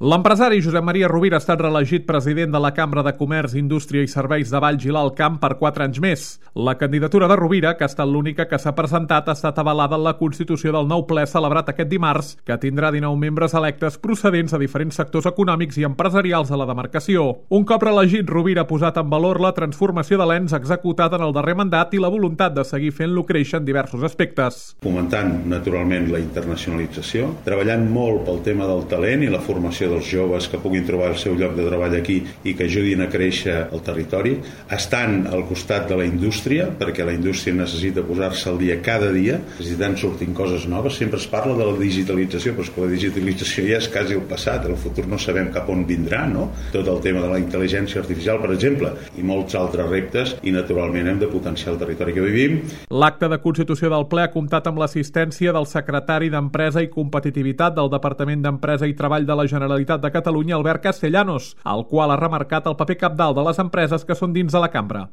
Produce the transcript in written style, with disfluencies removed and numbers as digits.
L'empresari Josep Maria Rovira ha estat reelegit president de la Cambra de Comerç, Indústria i Serveis de Valls i l'Alt Camp per 4 anys més. La candidatura de Rovira, que ha estat l'única que s'ha presentat, ha estat avalada en la constitució del nou ple celebrat aquest dimarts, que tindrà 19 membres electes procedents de diferents sectors econòmics i empresarials de la demarcació. Un cop reelegit, Rovira ha posat en valor la transformació de l'ENS executada en el darrer mandat i la voluntat de seguir fent-lo créixer en diversos aspectes. Fomentant, naturalment, la internacionalització, treballant molt pel tema del talent i la formació dels joves que puguin trobar el seu lloc de treball aquí i que ajudin a créixer el territori, estant al costat de la indústria, perquè la indústria necessita posar-se al dia cada dia, necessitant sortint coses noves. Sempre es parla de la digitalització, però és que la digitalització ja és quasi el passat, el futur no sabem cap on vindrà, no? Tot el tema de la intel·ligència artificial, per exemple, i molts altres reptes, i naturalment hem de potenciar el territori que vivim. L'acte de constitució del ple ha comptat amb l'assistència del secretari d'Empresa i Competitivitat del Departament d'Empresa i Treball de la Generalitat de Catalunya, Albert Castellanos, el qual ha remarcat el paper cabdal de les empreses que són dins de la cambra.